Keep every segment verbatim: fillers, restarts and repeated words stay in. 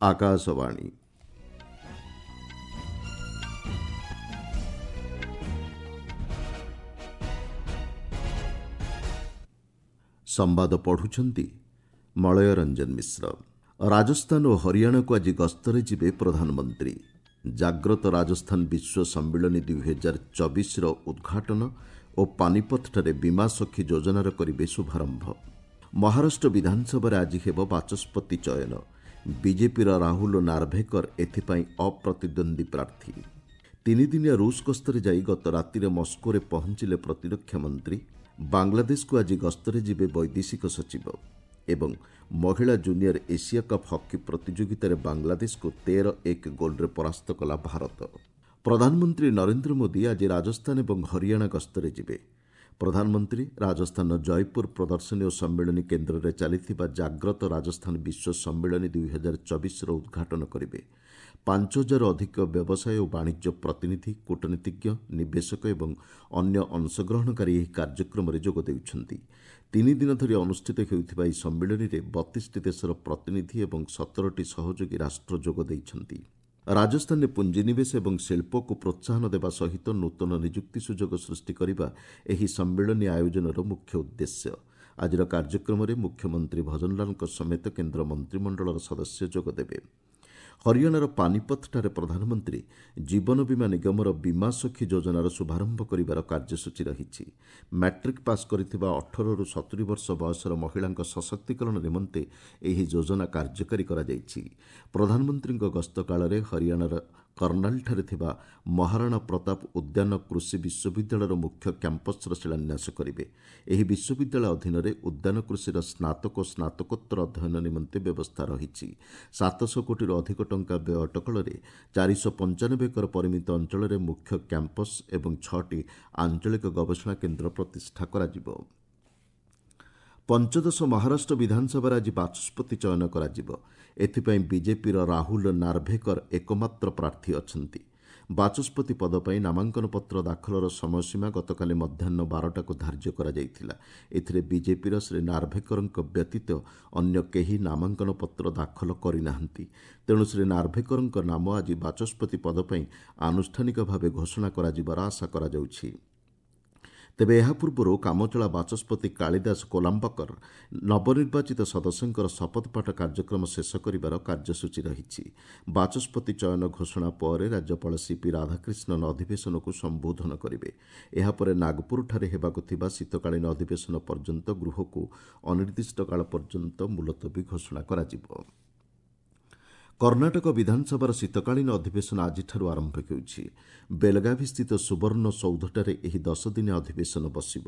ଆକାଶବାଣୀ। ସମ୍ବାଦ ପଢୁଛନ୍ତି ମଳୟ ରଞ୍ଜନ ମିଶ୍ର। ରାଜସ୍ଥାନ ଓ ହରିୟାଣାକୁ ଆଜି ଗସ୍ତରେ ଯିବେ ପ୍ରଧାନମନ୍ତ୍ରୀ। ଜାଗ୍ରତ ରାଜସ୍ଥାନ ବିଶ୍ୱ ସମ୍ମିଳନୀ ଦୁଇହଜାର ଚବିଶର ଉଦ୍ଘାଟନ ଓ ପାନିପଥଠାରେ ବୀମା ସଖୀ ଯୋଜନାର କରିବେ ଶୁଭାରମ୍ଭ। ମହାରାଷ୍ଟ୍ର ବିଧାନସଭାରେ ଆଜି ହେବ ବାଚସ୍ପତି ଚୟନ। ବିଜେପିର ରାହୁଲ ନାର୍ଭେକର ଏଥିପାଇଁ ଅପ୍ରତିଦ୍ୱନ୍ଦ୍ୱୀ ପ୍ରାର୍ଥୀ। ତିନିଦିନିଆ ରୁଷ ଗସ୍ତରେ ଯାଇ ଗତ ରାତିରେ ମସ୍କୋରେ ପହଞ୍ଚିଲେ ପ୍ରତିରକ୍ଷା ମନ୍ତ୍ରୀ। ବାଂଲାଦେଶକୁ ଆଜି ଗସ୍ତରେ ଯିବେ ବୈଦେଶିକ ସଚିବ। ଏବଂ ମହିଳା ଜୁନିୟର ଏସିଆ କପ୍ ହକି ପ୍ରତିଯୋଗିତାରେ ବାଂଲାଦେଶକୁ ତେର ଏକ ଗୋଲ୍ରେ ପରାସ୍ତ କଲା ଭାରତ। ପ୍ରଧାନମନ୍ତ୍ରୀ ନରେନ୍ଦ୍ର ମୋଦି ଆଜି ରାଜସ୍ଥାନ ଏବଂ ହରିୟାଣା ଗସ୍ତରେ ଯିବେ। ପ୍ରଧାନମନ୍ତ୍ରୀ ରାଜସ୍ଥାନର ଜୟପୁର ପ୍ରଦର୍ଶନୀ ଓ ସମ୍ମିଳନୀ କେନ୍ଦ୍ରରେ ଚାଲିଥିବା ଜାଗ୍ରତ ରାଜସ୍ଥାନ ବିଶ୍ୱ ସମ୍ମିଳନୀ ଦୁଇହଜାର ଚବିଶର ଉଦ୍ଘାଟନ କରିବେ। ପାଞ୍ଚ ହଜାରରୁ ଅଧିକ ବ୍ୟବସାୟ ଓ ବାଣିଜ୍ୟ ପ୍ରତିନିଧି, କୂଟନୀତିଜ୍ଞ, ନିବେଶକ ଏବଂ ଅନ୍ୟ ଅଂଶଗ୍ରହଣକାରୀ ଏହି କାର୍ଯ୍ୟକ୍ରମରେ ଯୋଗ ଦେଉଛନ୍ତି। ତିନି ଦିନ ଧରି ଅନୁଷ୍ଠିତ ହେଉଥିବା ଏହି ସମ୍ମିଳନୀରେ ବତିଶଟି ଦେଶର ପ୍ରତିନିଧି ଏବଂ ସତରଟି ସହଯୋଗୀ ରାଷ୍ଟ୍ର ଯୋଗ ଦେଇଛନ୍ତି। ରାଜସ୍ଥାନରେ ପୁଞ୍ଜିନିବେଶ ଏବଂ ଶିଳ୍ପକୁ ପ୍ରୋତ୍ସାହନ ଦେବା ସହିତ ନୂତନ ନିଯୁକ୍ତି ସୁଯୋଗ ସୃଷ୍ଟି କରିବା ଏହି ସମ୍ମିଳନୀ ଆୟୋଜନର ମୁଖ୍ୟ ଉଦ୍ଦେଶ୍ୟ। ଆଜିର କାର୍ଯ୍ୟକ୍ରମରେ ମୁଖ୍ୟମନ୍ତ୍ରୀ ଭଜନଲାଲଙ୍କ ସମେତ କେନ୍ଦ୍ର ମନ୍ତ୍ରିମଣ୍ଡଳର ସଦସ୍ୟ ଯୋଗ ଦେବେ। ହରିୟାଣାର ପାନିପଥଠାରେ ପ୍ରଧାନମନ୍ତ୍ରୀ ଜୀବନ ବୀମା ନିଗମର ବୀମା ସଖୀ ଯୋଜନାର ଶୁଭାରମ୍ଭ କରିବାର କାର୍ଯ୍ୟସୂଚୀ ରହିଛି। ମ୍ୟାଟ୍ରିକ୍ ପାସ୍ କରିଥିବା ଅଠରରୁ ସତୁରି ବର୍ଷ ବୟସର ମହିଳାଙ୍କ ସଶକ୍ତିକରଣ ନିମନ୍ତେ ଏହି ଯୋଜନା କାର୍ଯ୍ୟକାରୀ କରାଯାଇଛି। ପ୍ରଧାନମନ୍ତ୍ରୀଙ୍କ ଗସ୍ତ କାଳରେ ହରିୟାଣାର କର୍ଣ୍ଣାଲଠାରେ ଥିବା ମହାରାଣା ପ୍ରତାପ ଉଦ୍ୟାନ କୃଷି ବିଶ୍ୱବିଦ୍ୟାଳୟର ମୁଖ୍ୟ କ୍ୟାମ୍ପସ୍ର ଶିଳାନ୍ୟାସ କରିବେ। ଏହି ବିଶ୍ୱବିଦ୍ୟାଳୟ ଅଧୀନରେ ଉଦ୍ୟାନ କୃଷିର ସ୍ନାତକ ଓ ସ୍ନାତକୋତ୍ତର ଅଧ୍ୟୟନ ନିମନ୍ତେ ବ୍ୟବସ୍ଥା ରହିଛି। ସାତଶହ କୋଟିରୁ ଅଧିକ ଟଙ୍କା ବ୍ୟୟ ଅଟକଳରେ ଚାରିଶହ ପଞ୍ଚାନବେ ଏକର ପରିମିତ ଅଞ୍ଚଳରେ ମୁଖ୍ୟ କ୍ୟାମ୍ପସ୍ ଏବଂ ଛଅଟି ଆଞ୍ଚଳିକ ଗବେଷଣା କେନ୍ଦ୍ର ପ୍ରତିଷ୍ଠା କରାଯିବ। ପଞ୍ଚଦଶ ମହାରାଷ୍ଟ୍ର ବିଧାନସଭାରେ ଆଜି ବାଚସ୍ପତି ଚୟନ କରାଯିବ। ଏଥିପାଇଁ ବିଜେପିର ରାହୁଲ ନାର୍ଭେକର ଏକମାତ୍ର ପ୍ରାର୍ଥୀ ଅଛନ୍ତି। ବାଚସ୍ପତି ପଦ ପାଇଁ ନାମାଙ୍କନପତ୍ର ଦାଖଲର ସମୟସୀମା ଗତକାଲି ମଧ୍ୟାହ୍ନ ବାରଟାକୁ ଧାର୍ଯ୍ୟ କରାଯାଇଥିଲା। ଏଥିରେ ବିଜେପିର ଶ୍ରୀ ନାର୍ଭେକରଙ୍କ ବ୍ୟତୀତ ଅନ୍ୟ କେହି ନାମାଙ୍କନପତ୍ର ଦାଖଲ କରିନାହାନ୍ତି। ତେଣୁ ଶ୍ରୀ ନାର୍ଭେକରଙ୍କ ନାମ ଆଜି ବାଚସ୍ପତି ପଦ ପାଇଁ ଆନୁଷ୍ଠାନିକ ଭାବେ ଘୋଷଣା କରାଯିବାର ଆଶା କରାଯାଉଛି। ତେବେ ଏହା ପୂର୍ବରୁ କାମଚଳା ବାଚସ୍ପତି କାଳିଦାସ କୋଲାମ୍ବକର ନବନିର୍ବାଚିତ ସଦସ୍ୟଙ୍କର ଶପଥପାଠ କାର୍ଯ୍ୟକ୍ରମ ଶେଷ କରିବାର କାର୍ଯ୍ୟସୂଚୀ ରହିଛି। ବାଚସ୍ପତି ଚୟନ ଘୋଷଣା ପରେ ରାଜ୍ୟପାଳ ସିପି ରାଧାକ୍ରିଷ୍ଣନ ଅଧିବେଶନକୁ ସମ୍ବୋଧନ କରିବେ। ଏହାପରେ ନାଗପୁରଠାରେ ହେବାକୁ ଥିବା ଶୀତକାଳୀନ ଅଧିବେଶନ ପର୍ଯ୍ୟନ୍ତ ଗୃହକୁ ଅନିର୍ଦ୍ଦିଷ୍ଟ କାଳ ପର୍ଯ୍ୟନ୍ତ ମୁଲତବୀ ଘୋଷଣା କରାଯିବ। କର୍ଣ୍ଣାଟକ ବିଧାନସଭାର ଶୀତକାଳୀନ ଅଧିବେଶନ ଆଜିଠାରୁ ଆରମ୍ଭ ହେଉଛି। ବେଲଗାଭିସ୍ଥିତ ସୁବର୍ଣ୍ଣ ସୌଧଠାରେ ଏହି ଦଶଦିନିଆ ଅଧିବେଶନ ବସିବ।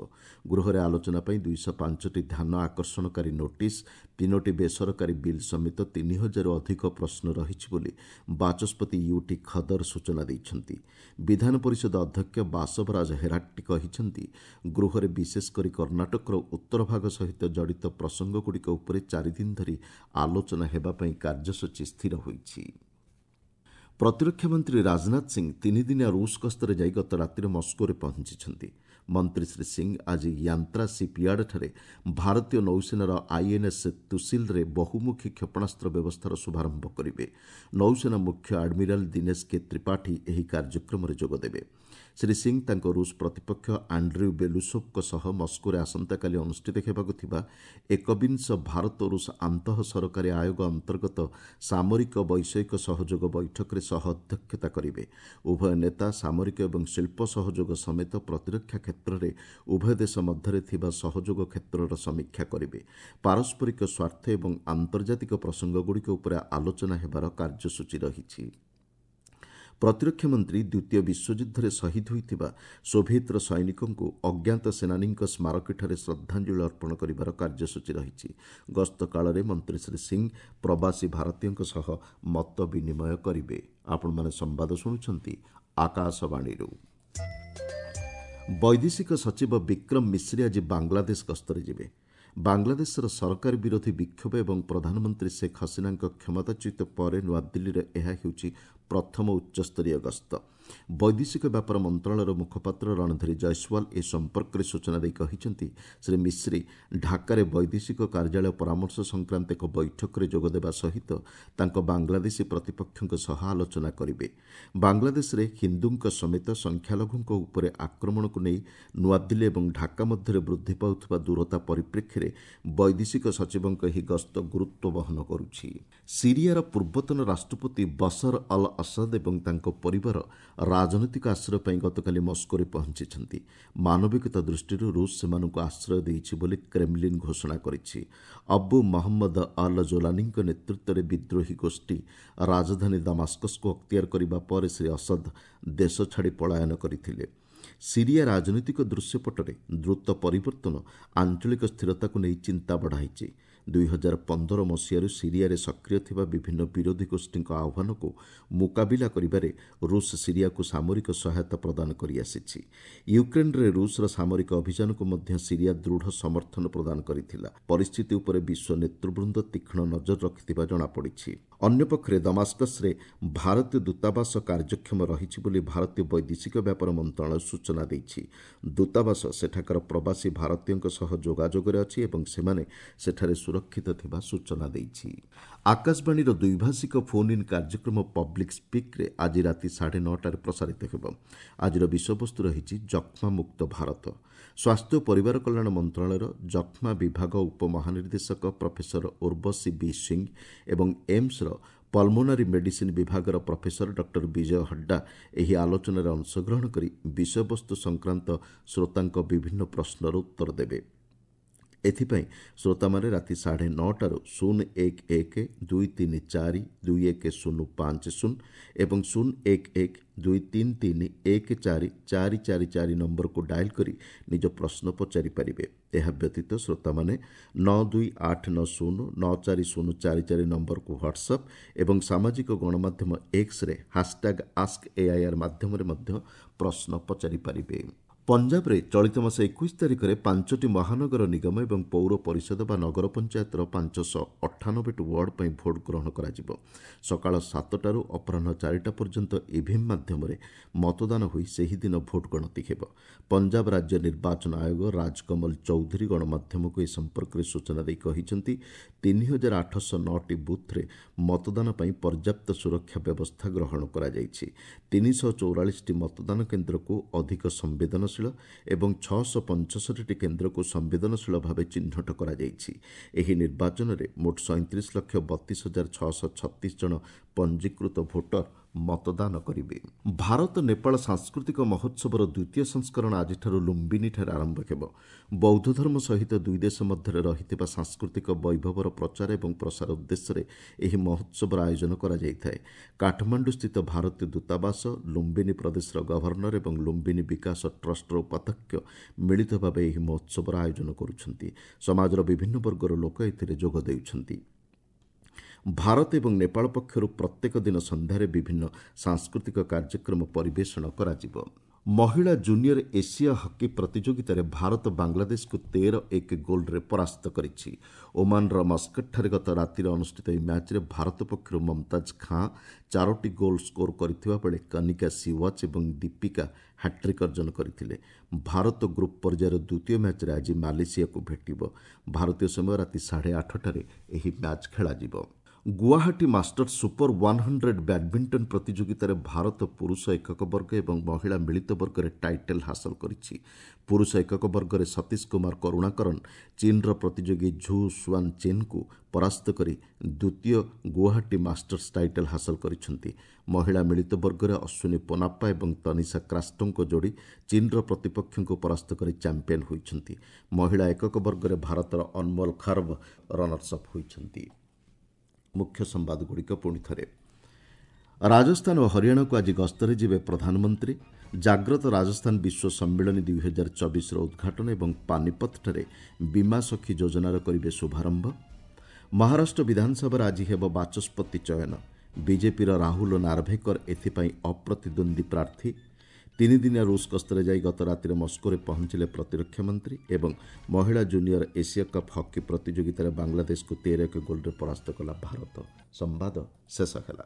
ଗୃହରେ ଆଲୋଚନା ପାଇଁ ଦୁଇଶହ ପାଞ୍ଚଟି ଧ୍ୟାନ ଆକର୍ଷଣକାରୀ ନୋଟିସ୍, ତିନୋଟି ବେସରକାରୀ ବିଲ୍ ସମେତ ତିନି ହଜାରରୁ ଅଧିକ ପ୍ରଶ୍ନ ରହିଛି ବୋଲି ବାଚସ୍ପତି ୟୁଟି ଖଦର ସୂଚନା ଦେଇଛନ୍ତି। ବିଧାନ ପରିଷଦ ଅଧ୍ୟକ୍ଷ ବାସବରାଜ ହେରାଟ୍ଟି କହିଛନ୍ତି, ଗୃହରେ ବିଶେଷ କରି କର୍ଣ୍ଣାଟକର ଉତ୍ତର ଭାଗ ସହିତ ଜଡ଼ିତ ପ୍ରସଙ୍ଗଗୁଡ଼ିକ ଉପରେ ଚାରିଦିନ ଧରି ଆଲୋଚନା ହେବା ପାଇଁ କାର୍ଯ୍ୟସୂଚୀ ସ୍ଥିର ହୋଇଛି। ପ୍ରତିରକ୍ଷା ମନ୍ତ୍ରୀ ରାଜନାଥ ସିଂ ତିନିଦିନିଆ ରୁଷ ଗସ୍ତରେ ଯାଇ ଗତ ରାତିରେ ମସ୍କୋରେ ପହଞ୍ଚିଛନ୍ତି। ମନ୍ତ୍ରୀ ଶ୍ରୀ ସିଂ ଆଜି ୟାନ୍ତ୍ରା ସିପିୟାର୍ଡଠାରେ ଭାରତୀୟ ନୌସେନାର ଆଇଏନ୍ଏସ୍ ତୁସିଲରେ ବହୁମୁଖୀ କ୍ଷେପଣାସ୍ତ୍ର ବ୍ୟବସ୍ଥାର ଶୁଭାରମ୍ଭ କରିବେ। ନୌସେନା ମୁଖ୍ୟ ଆଡମିରାଲ ଦିନେଶ କେ ତ୍ରିପାଠୀ ଏହି କାର୍ଯ୍ୟକ୍ରମରେ ଯୋଗଦେବେ। ଶ୍ରୀ ସିଂ ତାଙ୍କ ରୁଷ ପ୍ରତିପକ୍ଷ ଆଣ୍ଡ୍ରିଉ ବେଲୁସୋଭ୍ଙ୍କ ସହ ମସ୍କୋରେ ଆସନ୍ତାକାଲି ଅନୁଷ୍ଠିତ ହେବାକୁ ଥିବା ଏକବିଂଶ ଭାରତ ରୁଷ ଆନ୍ତଃ ସରକାରୀ ଆୟୋଗ ଅନ୍ତର୍ଗତ ସାମରିକ ବୈଷୟିକ ସହଯୋଗ ବୈଠକରେ ସହ ଅଧ୍ୟକ୍ଷତା କରିବେ। ଉଭୟ ନେତା ସାମରିକ ଏବଂ ଶିଳ୍ପ ସହଯୋଗ ସମେତ ପ୍ରତିରକ୍ଷା କ୍ଷେତ୍ରରେ ଉଭୟ ଦେଶ ମଧ୍ୟରେ ଥିବା ସହଯୋଗ କ୍ଷେତ୍ରର ସମୀକ୍ଷା କରିବେ। ପାରସ୍ପରିକ ସ୍ୱାର୍ଥ ଏବଂ ଆନ୍ତର୍ଜାତିକ ପ୍ରସଙ୍ଗଗୁଡ଼ିକ ଉପରେ ଆଲୋଚନା ହେବାର କାର୍ଯ୍ୟସୂଚୀ ରହିଛି। ପ୍ରତିରକ୍ଷା ମନ୍ତ୍ରୀ ଦ୍ୱିତୀୟ ବିଶ୍ୱଯୁଦ୍ଧରେ ଶହୀଦ ହୋଇଥିବା ସୋଭିଏତର ସୈନିକଙ୍କୁ ଅଜ୍ଞାତ ସେନାନୀଙ୍କ ସ୍ମାରକୀଠାରେ ଶ୍ରଦ୍ଧାଞ୍ଜଳି ଅର୍ପଣ କରିବାର କାର୍ଯ୍ୟସୂଚୀ ରହିଛି। ଗସ୍ତ କାଳରେ ମନ୍ତ୍ରୀ ଶ୍ରୀ ସିଂ ପ୍ରବାସୀ ଭାରତୀୟଙ୍କ ସହ ମତ ବିନିମୟ କରିବେ। ଆପଣମାନେ ସମ୍ବାଦ ଶୁଣୁଛନ୍ତି ଆକାଶବାଣୀରୁ। ବୈଦେଶିକ ସଚିବ ବିକ୍ରମ ମିଶ୍ରି ଆଜି ବାଂଲାଦେଶ ଗସ୍ତରେ ଯିବେ। ବାଂଲାଦେଶର ସରକାର ବିରୋଧୀ ବିକ୍ଷୋଭ ଏବଂ ପ୍ରଧାନମନ୍ତ୍ରୀ ଶେଖ୍ ହସିନାଙ୍କ କ୍ଷମତାଚ୍ୟୁତ ପରେ ନୂଆଦିଲ୍ଲୀରେ ଏହା ହେଉଛି ପ୍ରଥମ ଉଚ୍ଚସ୍ତରୀୟ ଗସ୍ତ। ବୈଦେଶିକ ବ୍ୟାପାର ମନ୍ତ୍ରଣାଳୟର ମୁଖପାତ୍ର ରଣଧୀର ଜୟସ୍ୱାଲ ଏ ସମ୍ପର୍କରେ ସୂଚନା ଦେଇ କହିଛନ୍ତି, ଶ୍ରୀ ମିଶ୍ରି ଢାକାରେ ବୈଦେଶିକ କାର୍ଯ୍ୟାଳୟ ପରାମର୍ଶ ସଂକ୍ରାନ୍ତ ଏକ ବୈଠକରେ ଯୋଗଦେବା ସହିତ ତାଙ୍କ ବାଂଲାଦେଶୀ ପ୍ରତିପକ୍ଷଙ୍କ ସହ ଆଲୋଚନା କରିବେ। ବାଂଲାଦେଶରେ ହିନ୍ଦୁଙ୍କ ସମେତ ସଂଖ୍ୟାଲଘୁଙ୍କ ଉପରେ ଆକ୍ରମଣକୁ ନେଇ ନୂଆଦିଲ୍ଲୀ ଏବଂ ଢାକା ମଧ୍ୟରେ ବୃଦ୍ଧି ପାଉଥିବା ଦୂରତା ପରିପ୍ରେକ୍ଷୀରେ ବୈଦେଶିକ ସଚିବଙ୍କ ଏହି ଗସ୍ତ ଗୁରୁତ୍ୱ ବହନ କରୁଛି। ସିରିଆର ପୂର୍ବତନ ରାଷ୍ଟ୍ରପତି ବସର ଅଲ୍ ଅସଦ ଏବଂ ତାଙ୍କ ପରିବାର ରାଜନୈତିକ ଆଶ୍ରୟ ପାଇଁ ଗତକାଲି ମସ୍କୋରେ ପହଞ୍ଚିଛନ୍ତି। ମାନବିକତା ଦୃଷ୍ଟିରୁ ରୁଷ ସେମାନଙ୍କୁ ଆଶ୍ରୟ ଦେଇଛି ବୋଲି କ୍ରେମଲିନ୍ ଘୋଷଣା କରିଛି। ଅବୁ ମହମ୍ମଦ ଅଲ୍ ଜୋଲାନୀଙ୍କ ନେତୃତ୍ୱରେ ବିଦ୍ରୋହୀ ଗୋଷ୍ଠୀ ରାଜଧାନୀ ଦାମାସ୍କସକୁ ଅକ୍ତିଆର କରିବା ପରେ ଶ୍ରୀ ଅସଦ ଦେଶ ଛାଡ଼ି ପଳାୟନ କରିଥିଲେ। ସିରିଆ ରାଜନୈତିକ ଦୃଶ୍ୟପଟରେ ଦ୍ରୁତ ପରିବର୍ତ୍ତନ ଆଞ୍ଚଳିକ ସ୍ଥିରତାକୁ ନେଇ ଚିନ୍ତା ବଢ଼ାଇଛି। ଦୁଇ ହଜାର ପନ୍ଦର ମସିହାରୁ ସିରିଆରେ ସକ୍ରିୟ ଥିବା ବିଭିନ୍ନ ବିରୋଧୀ ଗୋଷ୍ଠୀଙ୍କ ଆହ୍ୱାନକୁ ମୁକାବିଲା କରିବାରେ ରୁଷ ସିରିଆକୁ ସାମରିକ ସହାୟତା ପ୍ରଦାନ କରିଆସିଛି। ୟୁକ୍ରେନ୍ରେ ରୁଷର ସାମରିକ ଅଭିଯାନକୁ ମଧ୍ୟ ସିରିଆ ଦୃଢ଼ ସମର୍ଥନ ପ୍ରଦାନ କରିଥିଲା। ପରିସ୍ଥିତି ଉପରେ ବିଶ୍ୱ ନେତୃବୃନ୍ଦ ତୀକ୍ଷ୍ଣ ନଜର ରଖିଥିବା ଜଣାପଡ଼ିଛି। ଅନ୍ୟପକ୍ଷରେ ଦମାସ୍କସରେ ଭାରତୀୟ ଦୂତାବାସ କାର୍ଯ୍ୟକ୍ଷମ ରହିଛି ବୋଲି ଭାରତୀୟ ବୈଦେଶିକ ବ୍ୟାପାର ମନ୍ତ୍ରଣାଳୟ ସୂଚନା ଦେଇଛି। ଦୂତାବାସ ସେଠାକାର ପ୍ରବାସୀ ଭାରତୀୟଙ୍କ ସହ ଯୋଗାଯୋଗରେ ଅଛି ଏବଂ ସେମାନେ ସେଠାରେ ସୁରକ୍ଷିତ ଥିବା ସୂଚନା ଦେଇଛି। ଆକାଶବାଣୀର ଦ୍ୱିଭାଷିକ ଫୋନ୍ ଇନ୍ କାର୍ଯ୍ୟକ୍ରମ ପବ୍ଲିକ୍ ସ୍ପିକ୍ରେ ଆଜି ରାତି ସାଢ଼େ ନଅଟାରେ ପ୍ରସାରିତ ହେବ। ଆଜିର ବିଷୟବସ୍ତୁ ରହିଛି ଯକ୍ଷ୍ମାମୁକ୍ତ ଭାରତ। ସ୍ୱାସ୍ଥ୍ୟ ଓ ପରିବାର କଲ୍ୟାଣ ମନ୍ତ୍ରଣାଳୟର ଯକ୍ଷ୍ମା ବିଭାଗ ଉପମହାନିର୍ଦ୍ଦେଶକ ପ୍ରଫେସର ଉର୍ବଶୀ ବି ସିଂ ଏବଂ ଏମ୍ସର ପଲ୍ମୋନାରୀ ମେଡିସିନ୍ ବିଭାଗର ପ୍ରଫେସର ଡକ୍ଟର ବିଜୟ ହଡ୍ଡା ଏହି ଆଲୋଚନାରେ ଅଂଶଗ୍ରହଣ କରି ବିଷୟବସ୍ତୁ ସଂକ୍ରାନ୍ତ ଶ୍ରୋତାଙ୍କ ବିଭିନ୍ନ ପ୍ରଶ୍ନର ଉତ୍ତର ଦେବେ। ଏଥିପାଇଁ ଶ୍ରୋତାମାନେ ରାତି ସାଢ଼େ ନଅଟାରୁ ଶୂନ ଏକ ଏକ ଦୁଇ ତିନି ଚାରି ଦୁଇ ଏକ ଶୂନ ପାଞ୍ଚ ଶୂନ ଏବଂ ଶୂନ ଏକ ଏକ ଦୁଇ ତିନି ତିନି ଏକ ଚାରି ଚାରି ଚାରି ଚାରି ନମ୍ବରକୁ ଡାଏଲ୍ କରି ନିଜ ପ୍ରଶ୍ନ ପଚାରିପାରିବେ। ଏହା ବ୍ୟତୀତ ଶ୍ରୋତାମାନେ ନଅ ଦୁଇ ଆଠ ନଅ ଶୂନ ନଅ ଚାରି ଶୂନ ଚାରି ଚାରି ନମ୍ବରକୁ ହ୍ୱାଟ୍ସଆପ୍ ଏବଂ ସାମାଜିକ ଗଣମାଧ୍ୟମ ଏକ୍ସରେ ହାସଟ୍ୟାଗ୍ ଆସ୍କ ଏଆଇଆର୍ ମାଧ୍ୟମରେ ମଧ୍ୟ ପ୍ରଶ୍ନ ପଚାରିପାରିବେ। ପଞ୍ଜାବରେ ଚଳିତ ମାସ ଏକୋଇଶ ତାରିଖରେ ପାଞ୍ଚଟି ମହାନଗର ନିଗମ ଏବଂ ପୌର ପରିଷଦ ବା ନଗର ପଞ୍ଚାୟତର ପାଞ୍ଚଶହ ଅଠାନବେଟି ୱାର୍ଡ ପାଇଁ ଭୋଟ୍ ଗ୍ରହଣ କରାଯିବ। ସକାଳ ସାତଟାରୁ ଅପରାହ୍ନ ଚାରିଟା ପର୍ଯ୍ୟନ୍ତ ଇଭିଏମ୍ ମାଧ୍ୟମରେ ମତଦାନ ହୋଇ ସେହିଦିନ ଭୋଟ୍ ଗଣତି ହେବ। ପଞ୍ଜାବ ରାଜ୍ୟ ନିର୍ବାଚନ ଆୟୋଗ ରାଜକମଲ ଚୌଧୁରୀ ଗଣମାଧ୍ୟମକୁ ଏ ସମ୍ପର୍କରେ ସୂଚନା ଦେଇ କହିଛନ୍ତି, ତିନି ହଜାର ଆଠଶହ ନଅଟି ବୁଥ୍ରେ ମତଦାନ ପାଇଁ ପର୍ଯ୍ୟାପ୍ତ ସୁରକ୍ଷା ବ୍ୟବସ୍ଥା ଗ୍ରହଣ କରାଯାଇଛି। ତିନିଶହ ଚଉରାଳିଶଟି ମତଦାନ କେନ୍ଦ୍ରକୁ ଅଧିକ ସମ୍ବେଦନଶୀଳ ଏବଂ ଛଅଶହ ପଞ୍ଚଷଠିଟି କେନ୍ଦ୍ରକୁ ସମ୍ବେଦନଶୀଳ ଭାବେ ଚିହ୍ନଟ କରାଯାଇଛି। ଏହି ନିର୍ବାଚନରେ ମୋଟ ସଇଁତିରିଶ ଲକ୍ଷ ବତିଶ ହଜାର ଛଅଶହ ଛତିଶ ଜଣ ପଞ୍ଜୀକୃତ ଭୋଟର ମତଦାନ କରିବେ। ଭାରତ ନେପାଳ ସାଂସ୍କୃତିକ ମହୋତ୍ସବର ଦ୍ୱିତୀୟ ସଂସ୍କରଣ ଆଜିଠାରୁ ଲୁମ୍ବିନୀଠାରେ ଆରମ୍ଭ ହେବ। ବୌଦ୍ଧ ଧର୍ମ ସହିତ ଦୁଇ ଦେଶ ମଧ୍ୟରେ ରହିଥିବା ସାଂସ୍କୃତିକ ବୈଭବର ପ୍ରଚାର ଏବଂ ପ୍ରସାର ଉଦ୍ଦେଶ୍ୟରେ ଏହି ମହୋତ୍ସବର ଆୟୋଜନ କରାଯାଇଥାଏ। କାଠମାଣ୍ଡୁସ୍ଥିତ ଭାରତୀୟ ଦୂତାବାସ, ଲୁମ୍ବିନୀ ପ୍ରଦେଶର ଗଭର୍ଣ୍ଣର ଏବଂ ଲୁମ୍ବିନୀ ବିକାଶ ଟ୍ରଷ୍ଟର ଉପାଧ୍ୟକ୍ଷ ମିଳିତ ଭାବେ ଏହି ମହୋତ୍ସବର ଆୟୋଜନ କରୁଛନ୍ତି। ସମାଜର ବିଭିନ୍ନ ବର୍ଗର ଲୋକ ଏଥିରେ ଯୋଗ ଦେଉଛନ୍ତି। ଭାରତ ଏବଂ ନେପାଳ ପକ୍ଷରୁ ପ୍ରତ୍ୟେକ ଦିନ ସନ୍ଧ୍ୟାରେ ବିଭିନ୍ନ ସାଂସ୍କୃତିକ କାର୍ଯ୍ୟକ୍ରମ ପରିବେଷଣ କରାଯିବ। ମହିଳା ଜୁନିୟର ଏସିଆ ହକି ପ୍ରତିଯୋଗିତାରେ ଭାରତ ବାଂଲାଦେଶକୁ ତେର ଏକ ଗୋଲ୍ରେ ପରାସ୍ତ କରିଛି। ଓମାନର ମସ୍କଟଠାରେ ଗତ ରାତିରେ ଅନୁଷ୍ଠିତ ଏହି ମ୍ୟାଚ୍ରେ ଭାରତ ପକ୍ଷରୁ ମମତାଜ ଖାଁ ଚାରୋଟି ଗୋଲ୍ ସ୍କୋର କରିଥିବା ବେଳେ କନିକା ସିୱାଚ୍ ଏବଂ ଦୀପିକା ହ୍ୟାଟ୍ରିକ୍ ଅର୍ଜନ କରିଥିଲେ। ଭାରତ ଗ୍ରୁପ୍ ପର୍ଯ୍ୟାୟର ଦ୍ୱିତୀୟ ମ୍ୟାଚ୍ରେ ଆଜି ମାଲେସିଆକୁ ଭେଟିବ। ଭାରତୀୟ ସମୟ ରାତି ସାଢ଼େ ଆଠଟାରେ ଏହି ମ୍ୟାଚ୍ ଖେଳାଯିବ। Guwahati masters super one hundred badminton ପ୍ରତିଯୋଗିତାରେ ଭାରତ ପୁରୁଷ ଏକକ ବର୍ଗ ଏବଂ ମହିଳା ମିଳିତ ବର୍ଗରେ ଟାଇଟଲ୍ ହାସଲ କରିଛି। ପୁରୁଷ ଏକକ ବର୍ଗରେ ସତୀଶ କୁମାର କରୁଣାକରନ୍ ଚୀନ୍ର ପ୍ରତିଯୋଗୀ ଝୁ ସୁଆନ୍ ଚେନ୍ଙ୍କୁ ପରାସ୍ତ କରି ଦ୍ୱିତୀୟ ଗୁଆହାଟୀ ମାଷ୍ଟର୍ସ ଟାଇଟଲ୍ ହାସଲ କରିଛନ୍ତି। ମହିଳା ମିଳିତ ବର୍ଗରେ ଅଶ୍ୱିନୀ ପୋନାପ୍ପା ଏବଂ ତନିଷା କ୍ରାଷ୍ଟୋଙ୍କ ଯୋଡ଼ି ଚୀନ୍ର ପ୍ରତିପକ୍ଷଙ୍କୁ ପରାସ୍ତ କରି ଚାମ୍ପିୟନ୍ ହୋଇଛନ୍ତି। ମହିଳା ଏକକ ବର୍ଗରେ ଭାରତର ଅନମୋଲ ଖର୍ବ ରନର୍ସ ଅପ୍ ହୋଇଛନ୍ତି। ମୁଖ୍ୟ ସମ୍ବାଦଗୁଡ଼ିକ ପୁଣି ଥରେ। ରାଜସ୍ଥାନ ଓ ହରିୟାଣାକୁ ଆଜି ଗସ୍ତରେ ଯିବେ ପ୍ରଧାନମନ୍ତ୍ରୀ। ଜାଗ୍ରତ ରାଜସ୍ଥାନ ବିଶ୍ୱ ସମ୍ମିଳନୀ ଦୁଇ ହଜାର ଚବିଶର ଉଦ୍ଘାଟନ ଏବଂ ପାନିପଥଠାରେ ବୀମା ସଖୀ ଯୋଜନାର କରିବେ ଶୁଭାରମ୍ଭ। ମହାରାଷ୍ଟ୍ର ବିଧାନସଭାରେ ଆଜି ହେବ ବାଚସ୍ପତି ଚୟନ। ବିଜେପିର ରାହୁଲ ନାର୍ଭେକର ଏଥିପାଇଁ ଅପ୍ରତିଦ୍ୱନ୍ଦ୍ୱୀ ପ୍ରାର୍ଥୀ। ତିନିଦିନିଆ ରୁଷ ଗସ୍ତରେ ଯାଇ ଗତ ରାତିରେ ମସ୍କୋରେ ପହଞ୍ଚିଲେ ପ୍ରତିରକ୍ଷା ମନ୍ତ୍ରୀ। ଏବଂ ମହିଳା ଜୁନିୟର ଏସିଆ କପ୍ ହକି ପ୍ରତିଯୋଗିତାରେ ବାଂଲାଦେଶକୁ ତେର ଏକ ଗୋଲ୍ରେ ପରାସ୍ତ କଲା ଭାରତ। ସମ୍ବାଦ ଶେଷ ହେଲା।